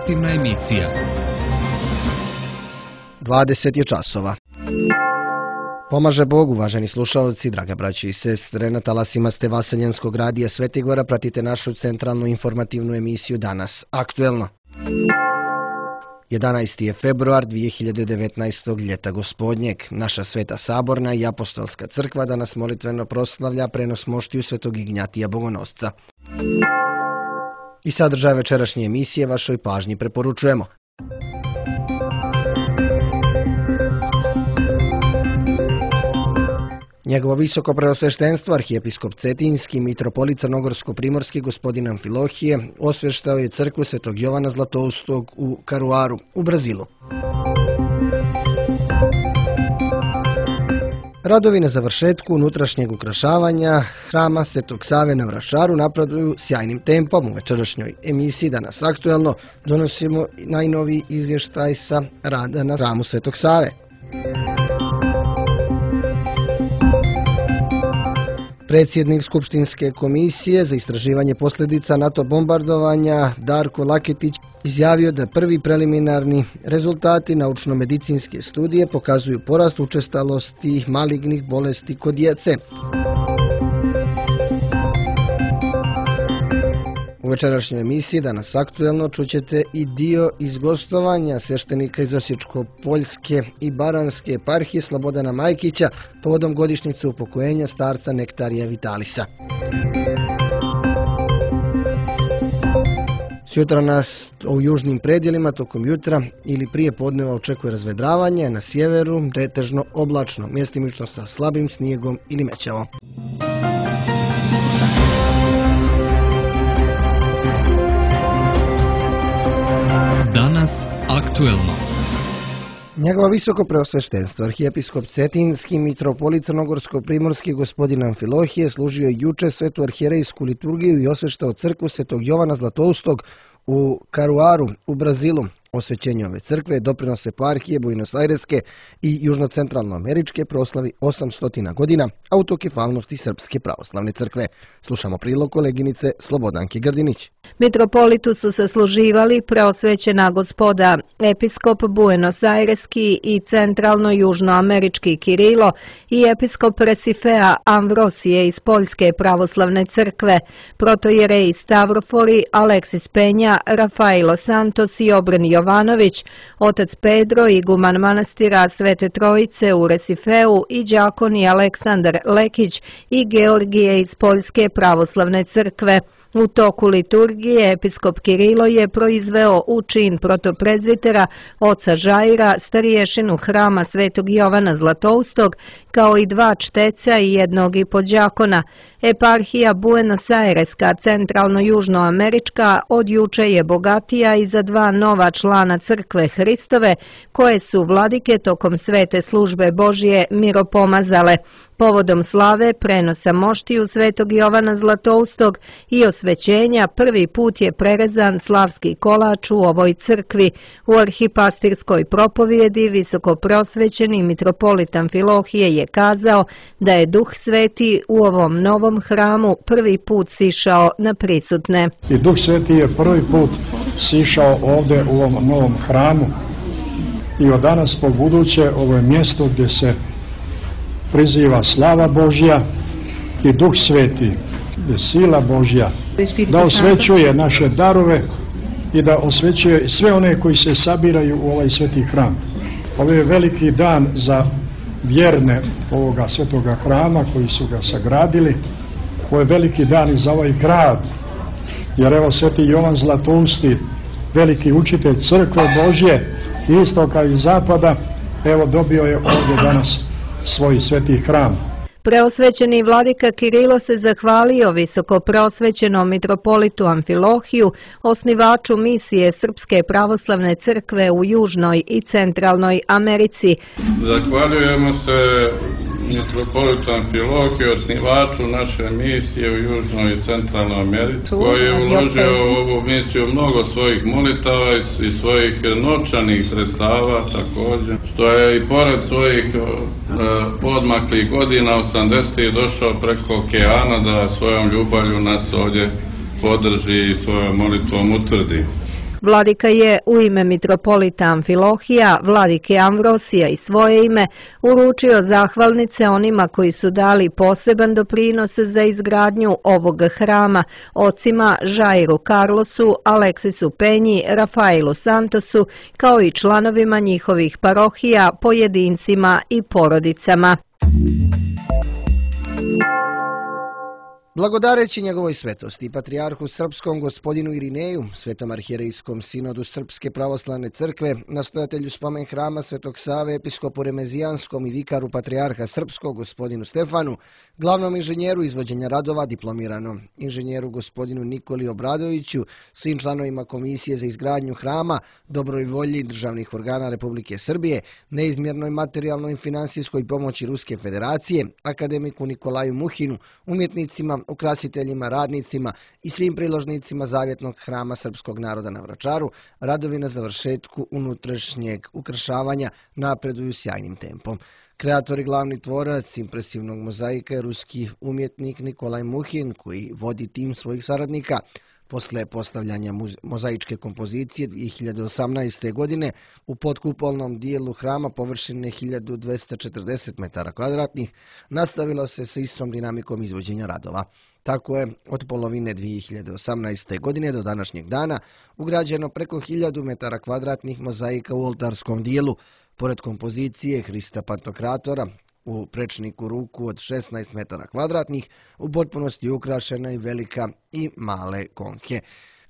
informativna emisija. 20 je časova. Pomaže Bog, uvaženi slušalci, drage braće i sestre, na talasima ste Vaseljenskog radija Svetigora, pratite našu centralnu informativnu emisiju Danas aktuelno. 11. je februar 2019. ljeta gospodnjeg. Naša Sveta Saborna i Apostolska crkva danas molitveno proslavlja prenos moštiju Svetog Ignjatija Bogonosca. I sadržaj večerašnje emisije vašoj pažnji preporučujemo. Njegovo visoko preosveštenstvo, arhijepiskop Cetinjski, mitropolit Crnogorsko-primorski gospodin Amfilohije, osvještao je crkvu Svetog Jovana Zlatoustog u Karuaru, u Brazilu. Radovi na završetku unutrašnjeg ukrašavanja hrama Svetog Save na Vračaru napreduju sjajnim tempom. U večerašnjoj emisiji Danas aktuelno donosimo najnoviji izvještaj sa rada na hramu Svetog Save. Predsjednik Skupštinske komisije za istraživanje posljedica NATO bombardovanja Darko Laketić izjavio da prvi preliminarni rezultati naučno-medicinske studije pokazuju porast učestalosti malignih bolesti kod djece. U večerašnjoj emisiji Danas aktuelno čućete i dio iz gostovanja sveštenika iz Osječko-Poljske i Baranjske eparhije Slobodana Majkića povodom godišnjice upokojenja starca Nektarija Vitalisa. Sutra nas u južnim predjelima tokom jutra ili prije podneva očekuje razvedravanje, na sjeveru pretežno oblačno, mjestimično sa slabim snijegom ili mećavom. Danas aktuelno. Njegovo visoko preosveštenstvo, arhijepiskop Cetinjski, mitropolit Crnogorsko-primorski gospodin Amfilohije služio je juče svetu arhijerejsku liturgiju i osveštao crkvu Svetog Jovana Zlatoustog u Karuaru, u Brazilu. Osvećenje ove crkve doprinose eparhije Buenos Aireske i južno-centralnoameričke proslavi 800 godina autokefalnosti Srpske pravoslavne crkve. Slušamo prilog koleginice Slobodanke Grdinić. Mitropolitu su se služivali preosvećena gospoda, episkop Buenos Aireski i centralno-južnoamerički Kirilo i episkop Resifea Amvrosije iz Poljske pravoslavne crkve, protojereji Stavrofori, Aleksis Penja, Rafailo Santos i Obren Jovanović, otac Pedro, iguman manastira Svete Trojice u Resifeu i đakoni Aleksandar Lekić i Georgije iz Poljske pravoslavne crkve. U toku liturgije episkop Kirilo je proizveo u čin protoprezvitera oca Žaira, stariješinu hrama Svetog Jovana Zlatoustog, kao i 2 čteca i 1 podđakona. Eparhija Buenos Aireska, centralno-južnoamerička, od juče je bogatija i za 2 nova člana crkve Hristove, koje su vladike tokom svete službe Božje miropomazale. Povodom slave prenosa moštiju Svetog Jovana Zlatoustog i osvećenja prvi put je prerezan slavski kolač u ovoj crkvi. U arhipastirskoj propovjedi visokoprosvećeni mitropolit Amfilohije je kazao da je Duh Sveti u ovom novom hramu prvi put sišao na prisutne. I Duh Sveti je prvi put sišao ovdje u ovom novom hramu i od danas po buduće ovo je mjesto gdje se priziva slava Božja i Duh Sveti, gdje sila Božja, da osvećuje naše darove i da osvećuje sve one koji se sabiraju u ovaj sveti hram. Ovo je veliki dan za vjerne ovoga svetoga hrama koji su ga sagradili. Ovo je veliki dan i za ovaj grad, jer evo Sveti Jovan Zlatousti, veliki učitelj crkve Božje, istoka i zapada, evo dobio je ovdje danas svoj sveti hram. Preosvećeni vladika Kirilo se zahvalio visoko preosvećenom mitropolitu Amfilohiju, osnivaču misije Srpske pravoslavne crkve u Južnoj i Centralnoj Americi. Zahvaljujemo se mitropolitu Amfilohiju, osnivaču naše misije u Južnoj i Centralnoj Americi, koji je uložio u ovu misiju mnogo svojih molitava i svojih novčanih sredstava također, što je i pored svojih podmaklih godina 80. došao preko okeana da svojom ljubavlju nas ovdje podrži i svojom molitvom utvrdi. Vladika je u ime mitropolita Amfilohija, vladike Amvrosija i svoje ime uručio zahvalnice onima koji su dali poseban doprinos za izgradnju ovog hrama, ocima Žairu Carlosu, Aleksisu Penji, Rafailu Santosu, kao i članovima njihovih parohija, pojedincima i porodicama. Blagodareći njegovoj svetosti, patrijarhu srpskom gospodinu Irineju, svetom arhijerejskom sinodu Srpske pravoslavne crkve, nastojatelju spomen hrama Svetog Save, episkopu Remezijanskom i vikaru patrijarha srpskog gospodinu Stefanu, glavnom inženjeru izvođenja radova, diplomiranom inženjeru gospodinu Nikoli Obradoviću, svim članovima Komisije za izgradnju hrama, dobroj volji državnih organa Republike Srbije, neizmjernoj materijalnoj i finansijskoj pomoći Ruske federacije, akademiku Nikolaju Muhinu, umjetnicima, ukrasiteljima, radnicima i svim priložnicima Zavjetnog hrama srpskog naroda na Vračaru, radovi na završetku unutrašnjeg ukrašavanja napreduju sjajnim tempom. Kreator i glavni tvorac impresivnog mozaika je ruski umjetnik Nikolaj Muhin, koji vodi tim svojih saradnika. Posle postavljanja mozaičke kompozicije 2018. godine u podkupolnom dijelu hrama površine 1240 metara kvadratnih nastavilo se sa istom dinamikom izvođenja radova. Tako je od polovine 2018. godine do današnjeg dana ugrađeno preko 1000 metara kvadratnih mozaika u oltarskom dijelu, pored kompozicije Hrista Pantokratora u prečniku ruku od 16 metara kvadratnih, u potpunosti ukrašena i velika i male konke.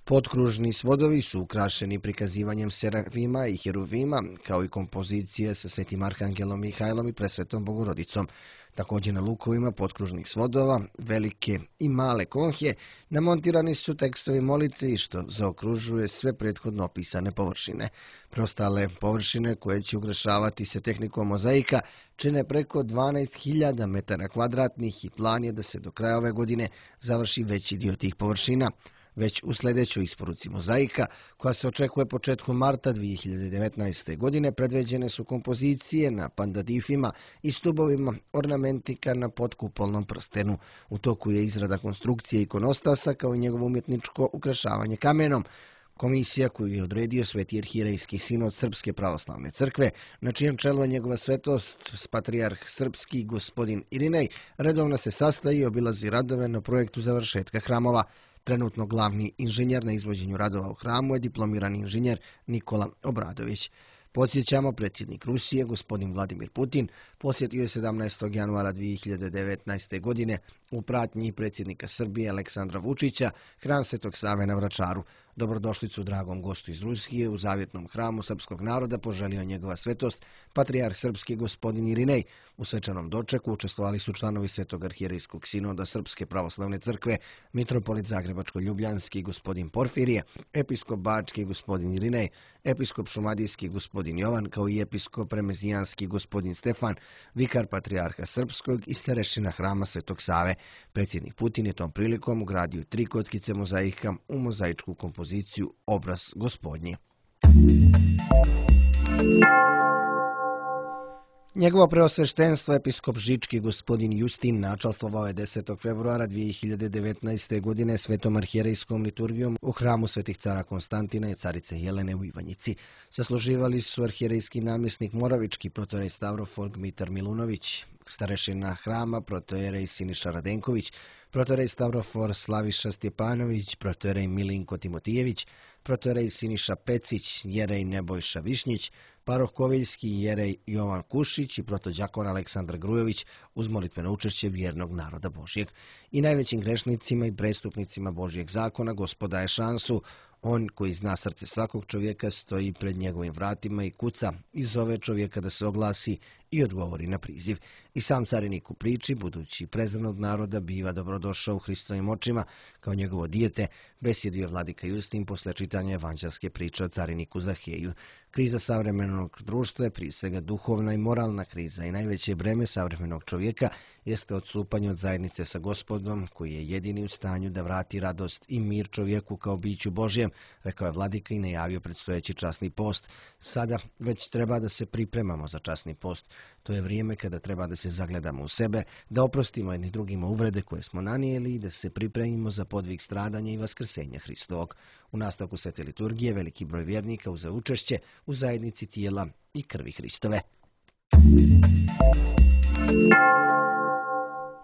Potkružni svodovi su ukrašeni prikazivanjem serafima i heruvima, kao i kompozicije sa Svetim Arhangelom Mihajlom i Presvetom Bogorodicom. Također na lukovima potkružnih svodova, velike i male konhje, namontirani su tekstovi molitve, što zaokružuje sve prethodno opisane površine. Preostale površine koje će ukrašavati se tehnikom mozaika čine preko 12.000 metara kvadratnih i plan je da se do kraja ove godine završi veći dio tih površina. Već u sljedećoj isporuci mozaika, koja se očekuje početkom marta 2019. godine, predviđene su kompozicije na pandadifima i stubovima ornamentika na potkupolnom prstenu. U toku je izrada konstrukcije ikonostasa kao i njegovo umjetničko ukrašavanje kamenom. Komisija koju je odredio Sveti arhijerejski sinod Srpske pravoslavne crkve, na čijem čelu je njegova svetost patrijarh srpski gospodin Irinej, redovno se sastaje i obilazi radove na projektu završetka hramova. Trenutno glavni inženjer na izvođenju radova u hramu je diplomirani inženjer Nikola Obradović. Podsjećamo, predsjednik Rusije, gospodin Vladimir Putin, posjetio je 17. januara 2019. godine u pratnji predsjednika Srbije Aleksandra Vučića hram Svetog Save na Vračaru. Dobrodošlicu dragom gostu iz Rusije u Zavjetnom hramu srpskog naroda poželio njegova svetost, patrijarh srpski gospodin Irinej. U svečanom dočeku učestvovali su članovi Svetog arhijerejskog sinoda Srpske pravoslavne crkve, mitropolit Zagrebačko-Ljubljanski gospodin Porfirije, episkop Bački gospodin Irinej, episkop Šumadijski gospodin Jovan, kao i episkop Remezijanski gospodin Stefan, vikar patrijarha srpskog i starešina hrama Svetog Save. Predsjednik Putin je tom prilikom ugradio 3 kockice mozaika u mozaičku kompoziciju Obraz Gospodnji. Njegovo preosveštenstvo episkop Žički gospodin Justin načalstvovao je 10. februara 2019. godine svetom arhijerejskom liturgijom u hramu Svetih cara Konstantina i carice Jelene u Ivanjici. Sasluživali su arhijerejski namjesnik Moravički protojerej Stavrofor Gmitar Milunović, starešina hrama protojerej Siniša Radenković, protojerej Stavrofor Slaviša Stjepanović, protojerej Milinko Timotijević, protojerej Siniša Pecić, jerej Nebojša Višnjić, paroh Koviljski, jerej Jovan Kušić i protođakon Aleksandar Grujović uz molitveno učešće vjernog naroda Božjeg. I najvećim grešnicima i prestupnicima Božjeg zakona Gospod daje šansu. On koji zna srce svakog čovjeka stoji pred njegovim vratima i kuca i zove čovjeka da se oglasi i odgovori na priziv. I sam carinik u priči, budući prezran od naroda, biva dobrodošao u Hristovim očima kao njegovo dijete, besjedio vladika Justin posle čitanja evanđelske priče o cariniku Zaheju. Kriza savremenog društva je prije svega duhovna i moralna kriza i najveće breme savremenog čovjeka jeste odstupanje od zajednice sa Gospodom, koji je jedini u stanju da vrati radost i mir čovjeku kao biću Božjem, rekao je vladika i najavio predstojeći časni post. Sada već treba da se pripremamo za časni post. To je vrijeme kada treba da se zagledamo u sebe, da oprostimo jedni drugima uvrede koje smo nanijeli i da se pripremimo za podvig stradanja i vaskrsenja Hristovog. U nastavku svete liturgije veliki broj vjernika uzeo učešće u zajednici tijela i krvi Hristove.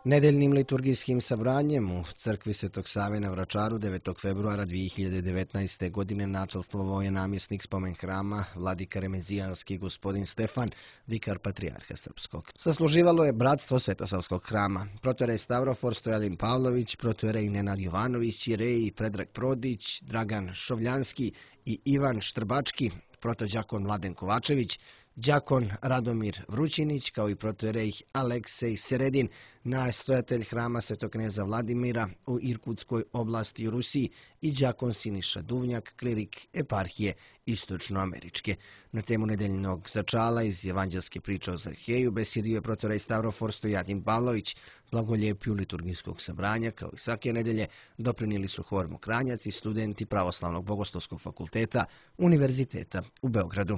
Nedeljnim liturgijskim sabranjem u crkvi Svetog Save na Vračaru 9. februara 2019. godine načelstvovao je namjesnik spomen hrama vladika Remezijanski gospodin Stefan, vikar patrijarha Srpskog. Sasluživalo je bratstvo Svetosavskog hrama, protojerej Stavrofor Stojadin Pavlović, protojerej Nenad Jovanović, jereji Predrag Prodić, Dragan Šovljanski i Ivan Štrbački, protođakon Mladen Kovačević, đakon Radomir Vrućinić, kao i protojerej Aleksej Seredin, nastojatelj hrama Svetog kneza Vladimira u Irkutskoj oblasti u Rusiji, i đakon Siniša Duvnjak, klirik eparhije Istočnoameričke. Na temu nedeljnog začala iz evanđelske priče o Zaheju besjedio je protojerej Stavrofor Stojadin Pavlović. Blagoljepju liturgijskog sabranja, kao i svake nedelje, doprinijeli su hor Mokranjac i studenti Pravoslavnog bogoslovskog fakulteta Univerziteta u Beogradu.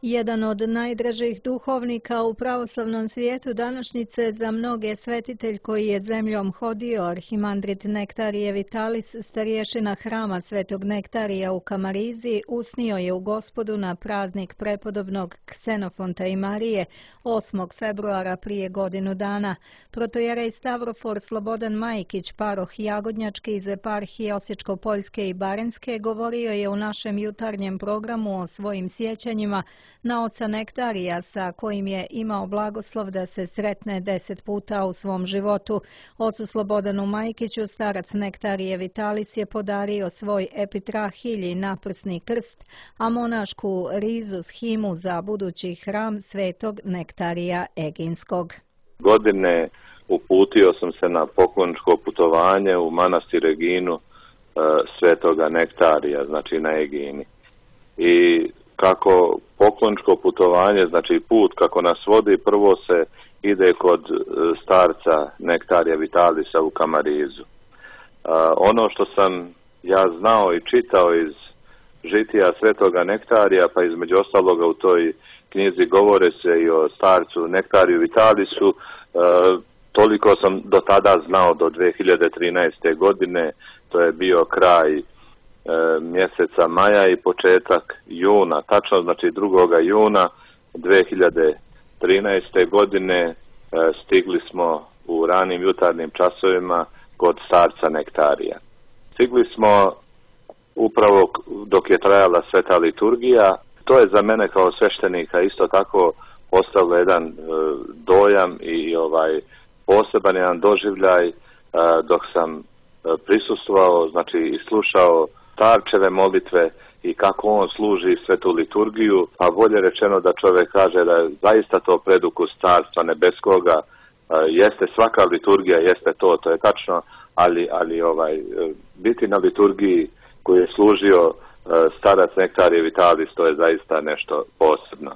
Jedan od najdražih duhovnika u pravoslavnom svijetu današnjice za mnoge svetitelj koji je zemljom hodio, arhimandrit Nektarije Vitalis, starješina hrama Svetog Nektarija u Kamarizi, usnio je u Gospodu na praznik prepodobnog Ksenofonta i Marije 8. februara prije godinu dana. Protojerej Stavrofor Slobodan Majkić, paroh Jagodnjački iz eparhije Osječko-Poljske i Barenjske, govorio je u našem jutarnjem programu o svojim sjećanjima na oca Nektarija, sa kojim je imao blagoslov da se sretne 10 puta u svom životu. Ocu Slobodanu Majkiću starac Nektarije Vitalis je podario svoj epitrahilj i naprsni krst, a monašku rizu s himu za budući hram Svetog Nektarija Eginskog. Godine uputio sam se na pokloničko putovanje u manastir Eginu Svetoga Nektarija, znači na Egini. I kako pokloničko putovanje, znači put kako nas vodi, prvo se ide kod starca Nektarija Vitalisa u Kamarizu. Ono što sam ja znao i čitao iz žitija Svetoga Nektarija, pa između ostaloga u toj knjizi govore se i o starcu Nektariju Vitalisu, toliko sam do tada znao, do 2013. godine, to je bio kraj mjeseca maja i početak juna, tačno znači 2. juna 2013. godine stigli smo u ranim jutarnjim časovima kod starca Nektarija. Stigli smo upravo dok je trajala sveta liturgija. To je za mene kao sveštenika isto tako postavilo jedan dojam i poseban jedan doživljaj dok sam prisustvovao, znači i slušao starčeve molitve i kako on služi svetu liturgiju, a bolje rečeno da čovjek kaže da je zaista to predukus Carstva nebeskoga. Jeste svaka liturgija, jeste to je tačno, ali biti na liturgiji koju je služio starac Nektarije Vitalis, to je zaista nešto posebno.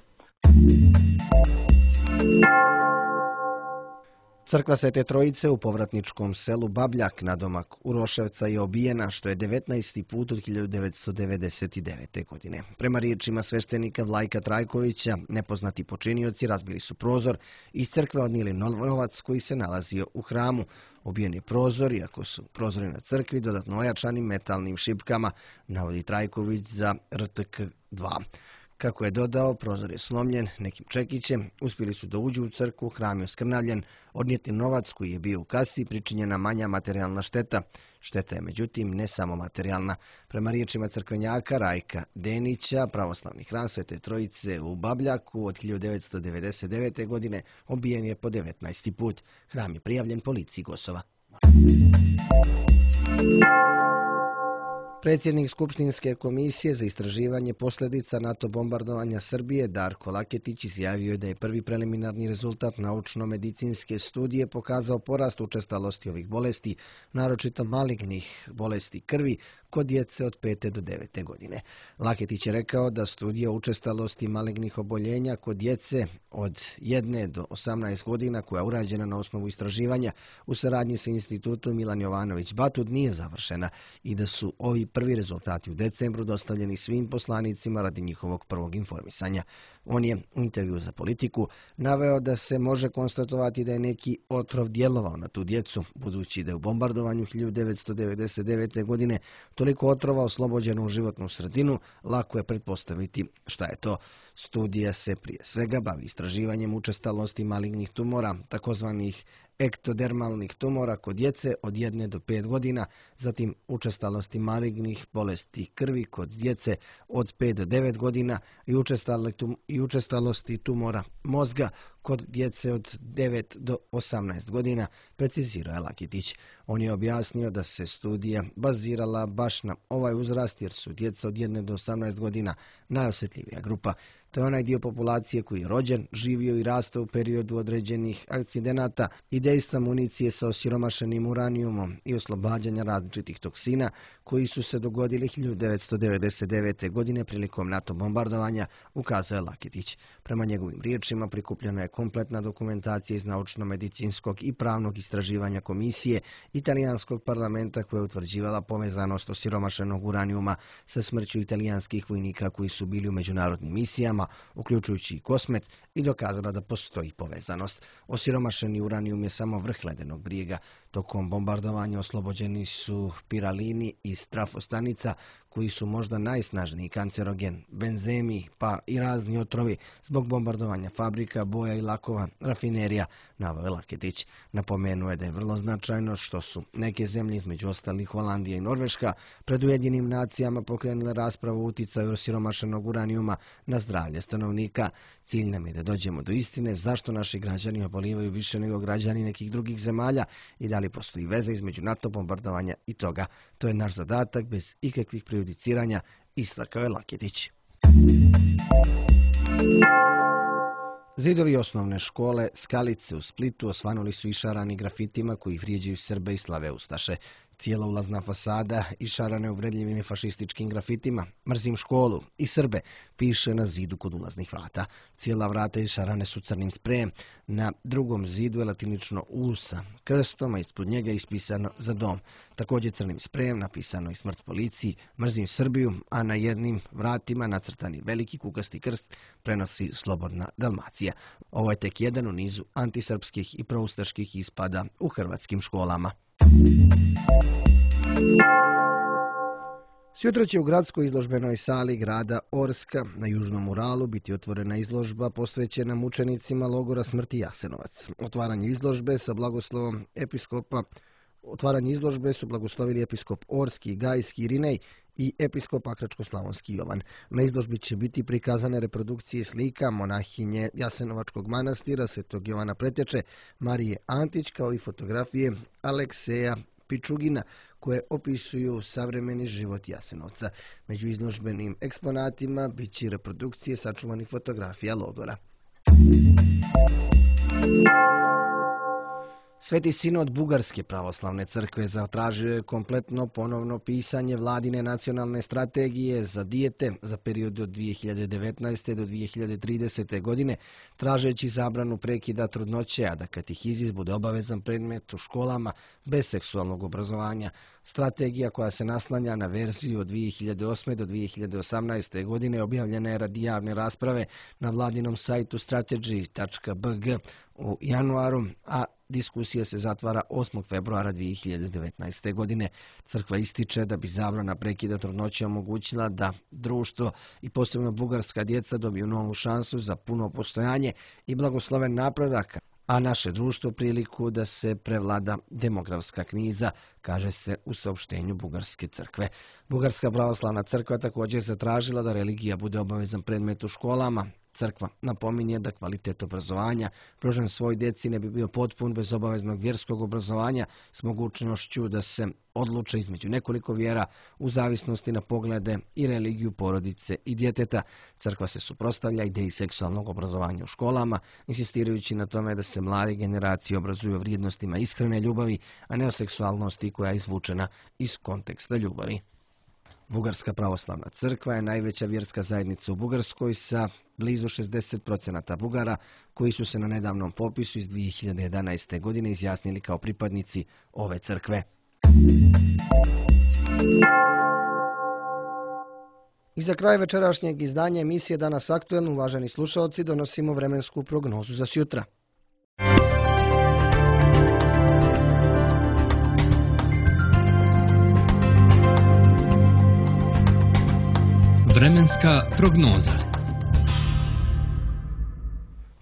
Crkva Svete Trojice u povratničkom selu Babljak nadomak Uroševca je obijena, što je 19. put od 1999. godine. Prema riječima sveštenika Vlajka Trajkovića, nepoznati počinioci razbili su prozor i iz crkve odnijeli novac koji se nalazio u hramu. Obijen je prozor, iako su prozori na crkvi dodatno ojačani metalnim šipkama, navodi Trajković za RTK2. Kako je dodao, prozor je slomljen nekim čekićem, uspjeli su da uđu u crkvu, hram je oskrnavljen, odnijeti novac koji je bio u kasi, pričinjena manja materijalna šteta. Šteta je međutim ne samo materijalna. Prema riječima crkvenjaka Rajka Denića, pravoslavni hram Svete Trojice u Babljaku od 1999. godine obijen je po 19. put. Hram je prijavljen policiji Gosova. Predsjednik Skupštinske komisije za istraživanje posljedica NATO bombardovanja Srbije Darko Laketić izjavio je da je prvi preliminarni rezultat naučno-medicinske studije pokazao porast učestalosti ovih bolesti, naročito malignih bolesti krvi, kod djece od 5. do 9. godine. Laketić je rekao da studija učestalosti malignih oboljenja kod djece od 1 do 18 godina, koja je urađena na osnovu istraživanja u saradnji sa institutom Milan Jovanović Batud, nije završena i da su ovi prvi rezultati u decembru dostavljeni svim poslanicima radi njihovog prvog informisanja. On je u intervju za Politiku naveo da se može konstatovati da je neki otrov djelovao na tu djecu, budući da je u bombardovanju 1999. godine toliko otrova oslobođeno u životnu sredinu, lako je pretpostaviti šta je to. Studija se prije svega bavi istraživanjem učestalosti malignih tumora, takozvanih ektodermalnih tumora kod djece od 1 do 5 godina, zatim učestalosti malignih bolesti krvi kod djece od 5 do 9 godina i učestalosti tumora mozga kod djece od 9 do 18 godina, precizirao je Laketić. On je objasnio da se studija bazirala baš na ovaj uzrast jer su djeca od 1 do 18 godina najosjetljivija grupa. To je onaj dio populacije koji je rođen, živio i rastao u periodu određenih akcidenata i dejstva municije sa osiromašenim uranijumom i oslobađanja različitih toksina koji su se dogodili 1999. godine prilikom NATO bombardovanja, ukazao je Laketić. Prema njegovim riječima prikupljena je kompletna dokumentacija iz naučno-medicinskog i pravnog istraživanja komisije italijanskog parlamenta koja je utvrđivala povezanost osiromašenog uranijuma sa smrću italijanskih vojnika koji su bili u međunarodnim misijama, uključujući i Kosmet, i dokazala da postoji povezanost. Osiromašeni uranijum je samo vrh ledenog brijega. Tokom bombardovanja oslobođeni su piralini i strafostanica, koji su možda najsnažniji kancerogen, benzemi, pa i razni otrovi zbog bombardovanja fabrika, boja i lakova, rafinerija, naveo je Laketić. Napomenuo je da je vrlo značajno što su neke zemlje, između ostalih Holandija i Norveška, pred Ujedinjenim nacijama pokrenule raspravu o uticaju osiromašenog uranijuma na zdravlje stanovnika. Cilj nam je da dođemo do istine zašto naši građani obolivaju više nego građani nekih drugih zemalja i da li postoji veza između NATO bombardovanja i toga. To je naš zadatak bez ikakvih prejudiciranja, istakao je Laketić. Zidovi osnovne škole Skalice u Splitu osvanuli su išarani grafitima koji vrijeđaju Srbe i slave ustaše. Cijela ulazna fasada išarane uvredljivim i fašističkim grafitima "Mrzim školu" i "Srbe" piše na zidu kod ulaznih vrata. Cijela vrata išarane su crnim sprejem. Na drugom zidu je latinično "U" sa krstom, a ispod njega je ispisano "Za dom". Također crnim sprejem napisano i "Smrt policiji", "Mrzim Srbiju", a na jednim vratima nacrtani veliki kukasti krst prenosi "Slobodna Dalmacija". Ovo je tek jedan u nizu antisrpskih i proustaških ispada u hrvatskim školama. Sjutra će u gradskoj izložbenoj sali grada Orska na Južnom Uralu biti otvorena izložba posvećena mučenicima logora smrti Jasenovac. Otvaranje izložbe su blagoslovili episkop Orski, Gajski, Irinej i episkop Akračko-Slavonski Jovan. Na izložbi će biti prikazane reprodukcije slika monahinje Jasenovačkog manastira Svetog Jovana Pretječe, Marije Antić, kao i fotografije Alekseja Pičugina koje opisuju savremeni život Jasenovca. Među izložbenim eksponatima bit će reprodukcije sačuvanih fotografija logora. Sveti sinod Bugarske pravoslavne crkve zatražio je kompletno ponovno pisanje vladine nacionalne strategije za dijete za period od 2019. do 2030. godine, tražeći zabranu prekida trudnoće, a da katehizis bude obavezan predmet u školama bez seksualnog obrazovanja. Strategija, koja se naslanja na verziju od 2008. do 2018. godine, objavljena je radi javne rasprave na vladinom sajtu strategy.bg u januaru, a diskusija se zatvara 8. februara 2019. godine. Crkva ističe da bi zabrana prekida trudnoće omogućila da društvo i posebno bugarska djeca dobiju novu šansu za puno postojanje i blagosloven napredak, a naše društvo priliku da se prevlada demografska kriza, kaže se u saopštenju Bugarske crkve. Bugarska pravoslavna crkva također zatražila da religija bude obavezan predmet u školama. Crkva napominje da kvalitet obrazovanja pružen svoj djeci ne bi bio potpun bez obaveznog vjerskog obrazovanja s mogućnošću da se odluče između nekoliko vjera u zavisnosti na poglede i religiju porodice i djeteta. Crkva se suprotstavlja ideji seksualnog obrazovanja u školama, insistirajući na tome da se mlade generacije obrazuju o vrijednostima iskrene ljubavi, a ne o seksualnosti koja je izvučena iz konteksta ljubavi. Bugarska pravoslavna crkva je najveća vjerska zajednica u Bugarskoj sa blizu 60% Bugara koji su se na nedavnom popisu iz 2011. godine izjasnili kao pripadnici ove crkve. I za kraj večerašnjeg izdanja emisije Danas aktuelno, uvaženi slušalci, donosimo vremensku prognozu za sjutra. Vremenska prognoza.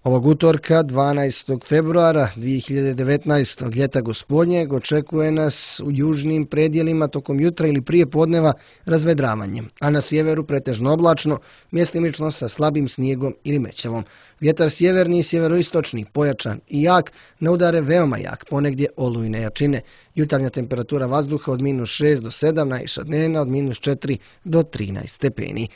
Ovog utorka, 12. februara 2019. ljeta gospodnjeg, očekuje nas u južnim predjelima tokom jutra ili prije podneva razvedravanje, a na sjeveru pretežno oblačno, mjestimično sa slabim snijegom ili mećavom. Vjetar sjeverni i sjeveroistočni, pojačan i jak, na udare veoma jak, ponegdje olujne jačine. Jutarnja temperatura vazduha od -6 do 7, najviša dnevna od -4 do 13 stepeni.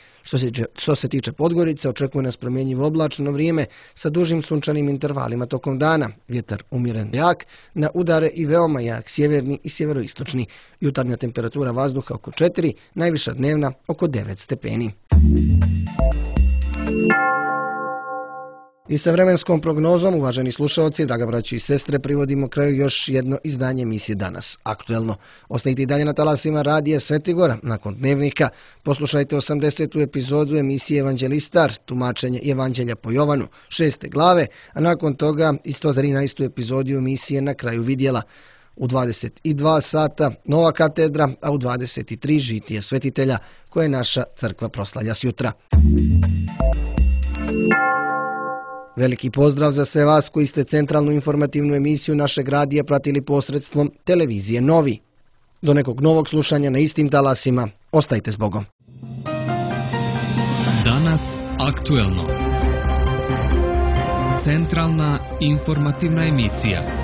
Što se tiče Podgorice, očekuje nas promjenjivo oblačno vrijeme sa dužim sunčanim intervalima tokom dana. Vjetar umjeren jak, na udare i veoma jak, sjeverni i sjeveroistočni. Jutarnja temperatura vazduha oko 4, najviša dnevna oko 9 stepeni. I sa vremenskom prognozom, uvaženi slušalci, draga braći i sestre, privodimo kraju još jedno izdanje emisije Danas aktuelno. Ostajte i dalje na talasima radija Svetigora. Nakon dnevnika poslušajte 80. epizodu emisije Evanđelistar, tumačenje Evanđelja po Jovanu, 6. glave, a nakon toga i 113. epizodu emisije Na kraju vidjela. U 22 sata Nova katedra, a u 23 žitije svetitelja koje naša crkva proslavlja sjutra. Veliki pozdrav za sve vas koji ste centralnu informativnu emisiju našeg radija pratili posredstvom televizije Novi. Do nekog novog slušanja na istim talasima. Ostajte s Bogom. Danas aktuelno. Centralna informativna emisija.